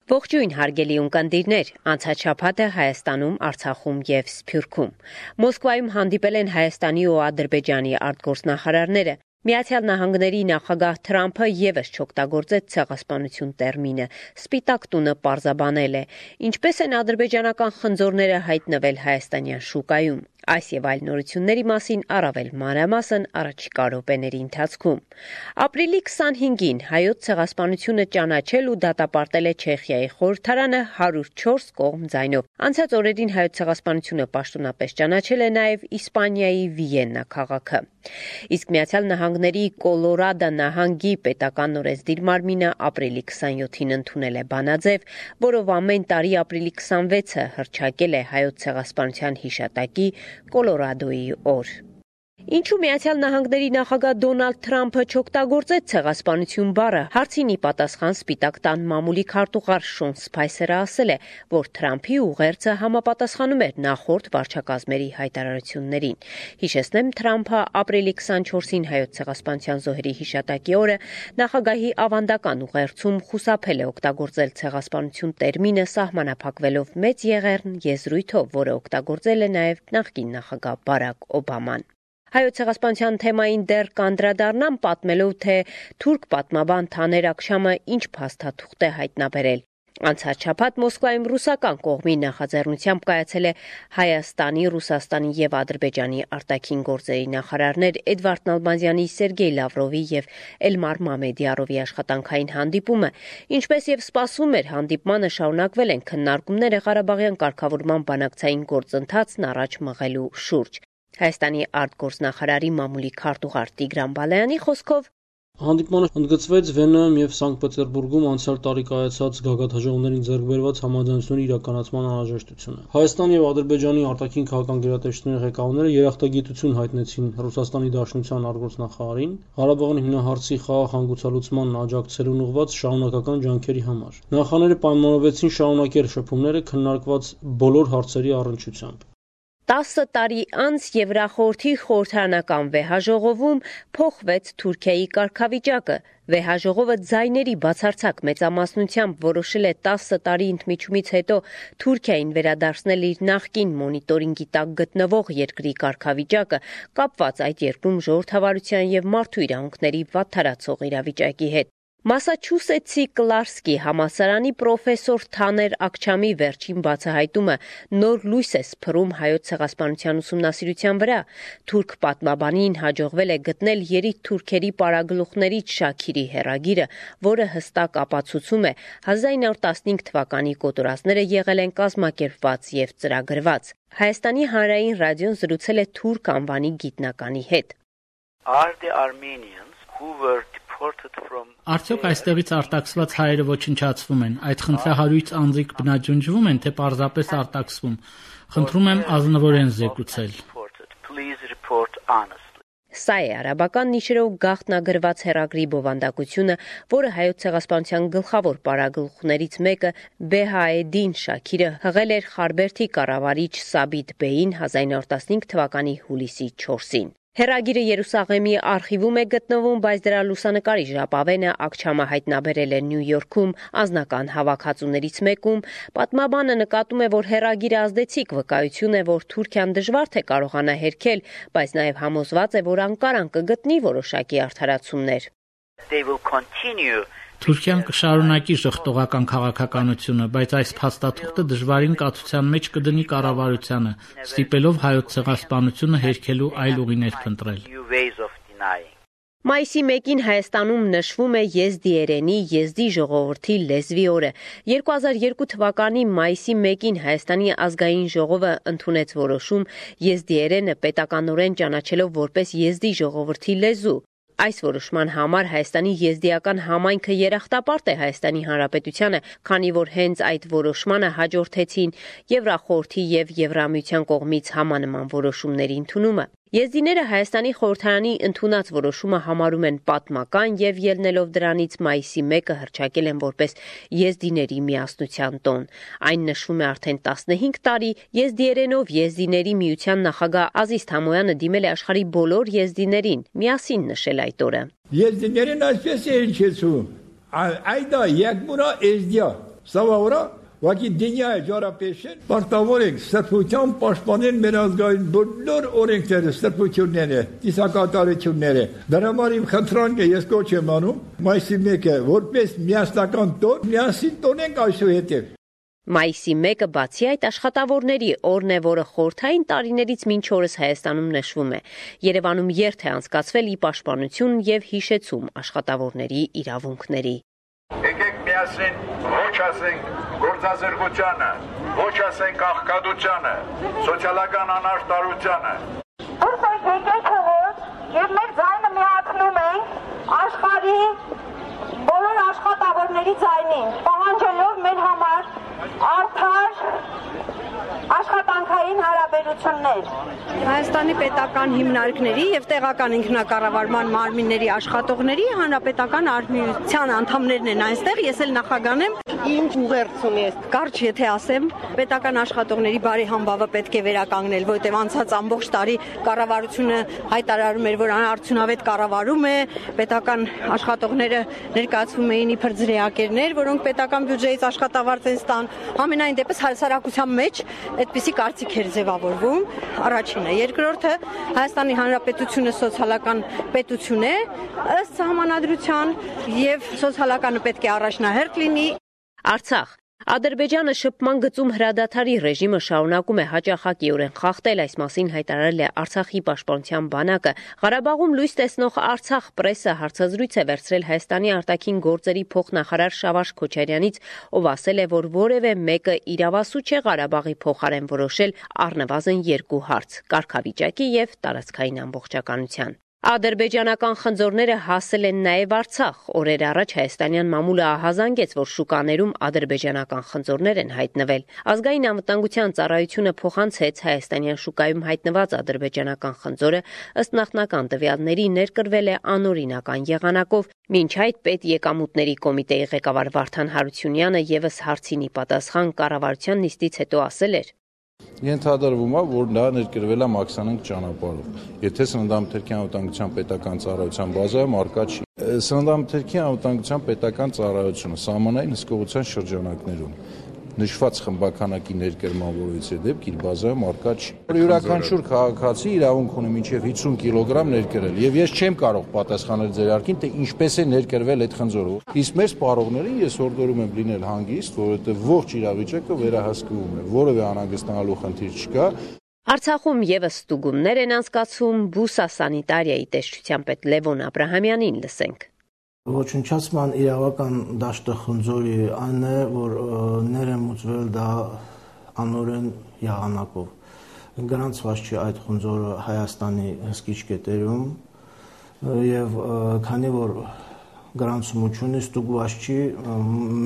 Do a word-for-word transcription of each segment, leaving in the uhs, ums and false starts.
Ողջույն հարգելի ունկնդիրներ, անցած շաբաթը Հայաստանում, Արցախում եւ Սփյուռքում։ Մոսկվայում հանդիպել են Հայաստանի ու Ադրբեջանի արտգործնախարարները։ Միացյալ Նահանգների նախագահ Թրամփը եւս չօգտագործեց ցեղասպանություն տերմինը։ Սպիտակ տունը պարզաբանել է, ինչպես են ադրբեջանական խնձորները հայտնվել հայաստանյան շուկայում։ Այս եւ այլ նորությունների մասին առավել մանրամասն առաջիկա րոպեների ընթացքում։ Ապրիլի քսանհինգին հայոց ցեղասպանությունը ճանաչել ու դատապարտել է Չեխիայի խորհրդարանը հարյուր չորս կողմ ձայնով։ Անցած օրերին հայոց ցեղասպանությունը պաշտոնապես ճանաչել է նաեւ Իսպանիայի Վիեննա քաղաքը։ Իսկ Միացյալ Նահանգների Կոլորադո նահանգի պետական օրենսդիր մարմինը ապրիլի քսանյոթին ընդունել է բանաձև, որով ամեն տարի ապրիլի քսանվեցը հռչակել է հայոց ցեղասպանության հիշատակի Կոլորադոյի օր։ Ինչու Միացյալ Նահանգների նախագահ Դոնալդ Թրամփը չօգտագործեց ցեղասպանություն բառը, հարցին ի պատասխան Սպիտակ տան մամուլի քարտուղար Շոն Սփայսերը ասել է, որ Թրամփի ուղերձը համապատասխանում էր նախորդ վարչակազմերի հայտարարություններին։ Հիշեցնեմ, Թրամփը ապրիլի քսանչորսին հայոց ցեղասպանության զոհերի հիշատակի օրը նախագահի ավանդական ուղերձում խուսափել է օգտագործել ցեղասպանություն տերմինը, սահմանափակվելով մեծ եղեռն եզրույթով, որը օգտագործել է նաև նախկին նախագահ Բարակ Օբաման։ Հայոց ցեղասպանության թեմային դեռ կանդրադառնամ պատմելով, թե թուրք պատմաբան Թաներ Աքշամը ինչ փաստաթուղթ է հայտնաբերել։ Անցած շաբաթ Մոսկվայում ռուսական կողմի նախաձեռնությամբ կայացել է Հայաստանի, Ռուսաստանի եւ Ադրբեջանի արտաքին գործերի նախարարներ Էդվարդ Նալբանդյանի, Սերգեյ Լավրովի եւ Էլմար Մամեդիարովի աշխատանքային հանդիպումը, ինչպես եւ սպասվում էր, հանդիպմանը շարունակվել են քննարկումները Ղարաբաղյան կարգավորման բանակցային գործընթացն առաջ մղելու շուրջ։ Հայաստանի արտգործնախարարի մամուլի քարտուղար Տիգրան Բալայանի խոսքով հանդիպմանը ընդգծվեց Վենայում եւ Սանկտ Պետերբուրգում անցյալ տարի կայացած գագաթնաժողովներին ձեռք բերված համաձայնությունների իրականացման անհրաժեշտությունը։ Հայաստանի եւ Ադրբեջանի արտաքին քաղաքական գերատեսչությունների ղեկավարները երախտագիտություն հայտնեցին Ռուսաստանի Դաշնության արտգործնախարարին Ղարաբաղի հիմնահարցի խաղաղ հանգուցալուծմանն աջակցելուն ուղղված շարունակական ջանքերի համար։ Նախարարները պայմանավորվեցին շարունակել շփումները քննարկված բոլոր հարցերի առնչությամբ։ Տասը տարի անց Եվրախորհրդի խորհրդարանական վեհաժողովում փոխվեց Թուրքիայի կարգավիճակը։ Վեհաժողովը ձայների բացարձակ մեծամասնությամբ որոշել է տասը տարի ընդմիջումից հետո Թուրքիային վերադարձնել իր նախկին մոնիտորինգի տակ գտնվող երկրի կարգավիճակը, կապված այդ երկրում ժողովրդավարության եւ մարդու իրավունքների վատթարացող իրավիճակի հետ։ Մասաչուսեթսի Կլարսկի համալսարանի պրոֆեսոր Թաներ Աքչամի վերջին բացահայտումը նոր լույս է սփռում հայոց ցեղասպանության ուսումնասիրության վրա։ Թուրք պատմաբանին հաջողվել է գտնել երիտ թուրքերի պարագլուխներից Շաքիրի հեռագիրը, որը հստակ ապացուցում է հազար իննսուն տասնհինգ թվականի կոտորածները եղել են կազմակերպված եւ ծրագրված։ Հայաստանի հանրային ռադիոն զրուցել է թուրք անվանի գիտնականի հետ։ Are the Armenians who were Արդյոք այստեղից արտաքսված հայերը ոչնչացվում են, այդ խնդրահարույց անձիկ բնաջնջվում են, թե պարզապես արտաքսվում։ Խնդրում եմ ազնվորեն զեկուցել։ Սա է արաբական նիշերով գաղտնագրված հեռագրի բովանդակությունը, որը հայոց ցեղասպանության գլխավոր պարագլուխներից մեկը Բեհաեդին Շաքիրը հղել էր Խարբերդի կառավարիչ Սաբիտ Բեին հազար իննսուն տասնհինգ թվականի հուլիսի չորսին։ Հեռագիրը Երուսաղեմի արխիվում է գտնվում, բայց դրա լուսանկարի ժապավենը Աքչամը հայտնաբերել է Նյու Յորքում անձնական հավաքածուներից մեկում։ Պատմաբանը նկատում է, որ հեռագիրը ազդեցիկ վկայություն է, որ Թուրքիան դժվար թե կարողանա հերքել, բայց նաև համոզված է, որ Անկարան կգտնի որոշակի արդարացումներ։ Թուրքիան կշարունակի ժխտողական քաղաքականությունը, բայց այս փաստաթուղթը դժվարին կացության մեջ կդնի կառավարությանը, ստիպելով հայոց ցեղասպանությունը հերքելու այլ ուղիներ փնտրել։ Մայիսի մեկին Հայաստանում նշվում է եզդիերենի եզդի ժողովրդի լեզվի օրը։ երկու հազար երկու թվականի մայիսի մեկին Հայաստանի ազգային ժողովը ընդունեց որոշում եզդիերենը պետականորեն ճանաչելով որպես եզդի ժողովրդի լեզու։ Այս որոշման համար Հայաստանի եզդիական համայնքը երախտապարտ է Հայաստանի Հանրապետությանը, քանի որ հենց այդ որոշմանը հաջորդեցին Եվրախորհրդի եւ Եվրամիության կողմից համանման որոշումների ընդունումը։ Եզդիները Հայաստանի խորհրդարանի ընդունած որոշումը համարում են պատմական եւ ելնելով դրանից մայիսի մեկը հռչակել են որպես Եզդիների միասնության տոն։ Այն նշվում է արդեն տասնհինգ տարի։ Եզդիերենով Եզդիների միության նախագահ Ազիզ Թամոյանը դիմել է աշխարհի բոլոր եզդիներին միասին նշել այդ օրը։ Եզդիներն այսպես են հիշեցում. «Այդա եկմուրա եզդիա»։ Սա վրա Վակի դինյա է ջարապեշեն, պարտավոր ենք սրբության պաշտպանել մեր ազգային բոլոր օրենքները, սրբությունները, ծիսակատարությունները։ Դրա համար իմ խնդրանք է, ես կոչ եմ անում, մայիսի մեկը, որպես միասնական տոն, միասին տոնենք այսուհետև։ Մայիսի մեկը բացի այդ աշխատավորների օրն է, որը խորհրդային տարիներից մինչ օրս Հայաստանում նշվում է։ Երևանում երթ է անցկացվել ի պաշտպանություն եւ հիշեցում աշխատավորների իրավունքների։ Եկեք միասին ոչ ասենք գործազրկությանը, ոչ ասենք աղքատությանը, սոցիալական անարդարությանը։ Դուրս այդ եկեք հողոց եւ մեր ձայնը միացնում ենք աշխարհի բոլոր աշխատավորների ձայնին, պահանջելով մեր համար արդար աշխատանքային հարաբերություններ։ Հայաստանի պետական հիմնարկների եւ տեղական ինքնակառավարման մարմինների աշխատողների հանրապետական արհմիության անդամներն են այստեղ, ես էլ նախագանեմ Ինչ ուղերձ ունի։ Կարճ եթե ասեմ, պետական աշխատողների բարի համբավը պետք է վերականգնել, որտեղ անցած ամբողջ տարի կառավարությունը հայտարարում էր, որ անարդյունավետ կառավարում է, պետական աշխատողները ներկայացվում էին իբր ձրեակերներ, որոնք պետական բյուջեից աշխատավարձ են ստան։ Ամենայն դեպս հասարակության մեջ այդպիսի կարծիք էր ձևավորվում, առաջինը։ Երկրորդը, Հայաստանի Հանրապետությունը սոցիալական պետություն է, ըստ սահմանադրության, եւ սոցիալականը պետք է առաջնահերթ լինի։ Արցախ Ադրբեջանը շփման գծում հրադադարի ռեժիմը շարունակում է հաճախակիորեն խախտել, այս մասին հայտարարել է Արցախի պաշտպանության բանակը։ Ղարաբաղում լույս տեսնող Արցախ պրեսը հարցազրույց է վերցրել Հայաստանի արտաքին գործերի փոխնախարար Շավարժ Քոչարյանից, ով ասել է, որ որևէ մեկը իրավասու չէ Ղարաբաղի փոխարեն որոշել առնվազն երկու հարց՝ կարգավիճակի եւ տարածքային ամբողջականության։ Ադրբեջանական խնձորները հասել են նաև Արցախ։ Օրեր առաջ հայաստանյան մամուլը ահազանգեց, որ շուկաներում ադրբեջանական խնձորներ են հայտնվել։ Ազգային անվտանգության ծառայությունը փոխանցեց հայաստանյան շուկայում հայտնված ադրբեջանական խնձորը, ըստ նախնական տվյալների ներկրվել է անօրինական եղանակով։ Մինչ այդ պետեկամուտների կոմիտեի ղեկավար Վարդան Հարությունյանը ևս հարցինի պատասխան կառավարության նիստից հետո ասել էր. Ենթադրվում է, որ դա ներկրվել է մաքսանենկ ճանապարհով։ Եթե սննդամթերքի անվտանգության պետական ծառայության բազայում արկա չի։ Սննդամթերքի անվտանգության պետական ծառայությունը սահմանային հսկողության շրջանակներում նշված խմբականակի ներկրման որևիցե դեպք իր բազայում արկա չի։ Յուրաքանչյուր քաղաքացի իրավունք ունի մինչև հիսուն կիլոգրամ ներկրել, եւ ես չեմ կարող պատասխանել ձեր հարցին, թե ինչպես է ներկրվել այդ խնձորը։ Իսկ մեր սպառողներին ես հորդորում եմ լինել հանգիստ, որովհետեւ ողջ իրավիճակը վերահսկվում է, որևէ անհանգստանալու խնդիր չկա։ Արցախում եւս ստուգումներ են անցկացվում, բուսասանիտարիայի տեսչության պետ Լևոն Աբրահամյանին լսենք։ Ոչնչացման իրավական դաշտը խնձորի այն է, որ ներմուծվել դա անօրեն եղանակով։ Գրանցված չի այդ խնձորը Հայաստանի հսկիչ կետերում եւ քանի որ գրանցումություն ստուգված չի,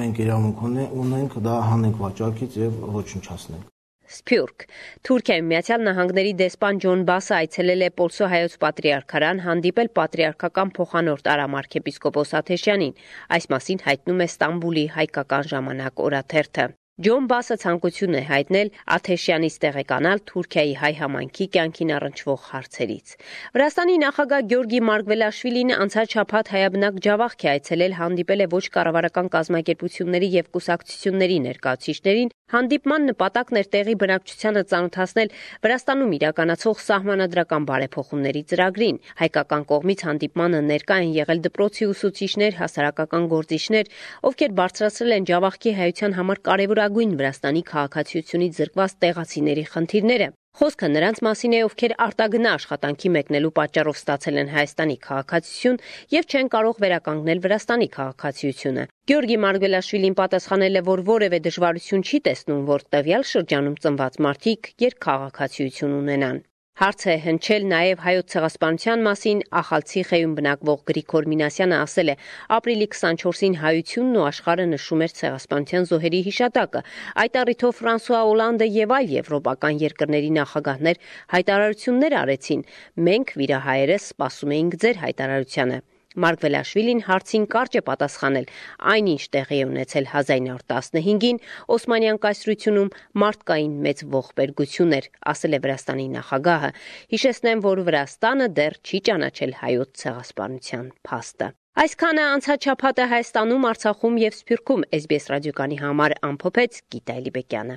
մենք իրավունք ունենք դա հանենք վաճառքից եւ ոչնչացնենք։ Սփյուռք Թուրքիայում Միացյալ Նահանգների դեսպան Ջոն Բասը այցելել է Պոլսո հայոց պատրիարքարան, հանդիպել պատրիարքական փոխանորդ Արամ arczepiskopos Աթեշյանին։ Այս մասին հայտնում է Ստամբուլի հայկական ժամանակ օրաթերթը։ Ջոն Բասը ցանկություն է հայտնել Աթեշյանից տեղեկանալ Թուրքիայի հայ համայնքի կյանքին առնչվող հարցերից։ Վրաստանի նախագահ Գյորգի Մարգվելաշվիլին անցած շաբաթ հայաբնակ Ջավախք է այցելել, հանդիպել է ոչ կառավարական կազմակերպությունների եւ կուսակցությունների ներկայացուցիչներին։ Հանդիպման նպատակն էր տեղի բնակչությանը ծանոթացնել Վրաստանում իրականացող սահմանադրական բարեփոխումների ծրագրին։ Հայկական կողմից հանդիպմանը ներկա են եղել դպրոցի ուսուցիչներ, հասարակական գործիչներ, ովքեր բարձրացրել են Ջավախքի հայության համար կարևորագույն Վրաստանի քաղաքացիությունից զրկված տեղացիների խնդիրները։ Խոսքը նրանց մասին է, ովքեր արտագնա աշխատանքի մեկնելու պատճառով ստացել են Հայաստանի քաղաքացիություն եւ չեն կարող վերականգնել Վրաստանի քաղաքացիությունը։ Գյորգի Մարգվելաշվիլին պատասխանել է, որ որևէ դժվարություն չի տեսնում, որ տվյալ շրջանում ծնված մարդիկ երկքաղաքացիություն ունենան։ Հարց է հնչել նաև հայոց ցեղասպանության մասին, Ախալցիխեում բնակվող Գրիգոր Մինասյանը ասել է. ապրիլի քսանչորսին հայությունն ու աշխարհը նշում էր ցեղասպանության զոհերի հիշատակը։ Այդ առիթով Ֆրանսուଆ Օլանդը եւ այլ եվրոպական երկրների նախագահներ հայտարարություններ արեցին։ Մենք վիրահայերս սպասում էինք ձեր հայտարարությանը։ Մարգվելաշվիլին հարցին կարճ է պատասխանել. այնինչ տեղի է ունեցել հազար ինը հարյուր տասնհինգին Օսմանյան կայսրությունում մարդկային մեծ ողբերգություն էր, ասել է Վրաստանի նախագահը։ Հիշեցնեմ, որ Վրաստանը դեռ չի ճանաչել հայոց ցեղասպանության փաստը։ Այսքանը անցած շաբաթը Հայաստանում, Արցախում եւ Սփյուռքում էս բի էս ռադիոկանի համար ամփոփեց Գիտա Էլիբեկյանը։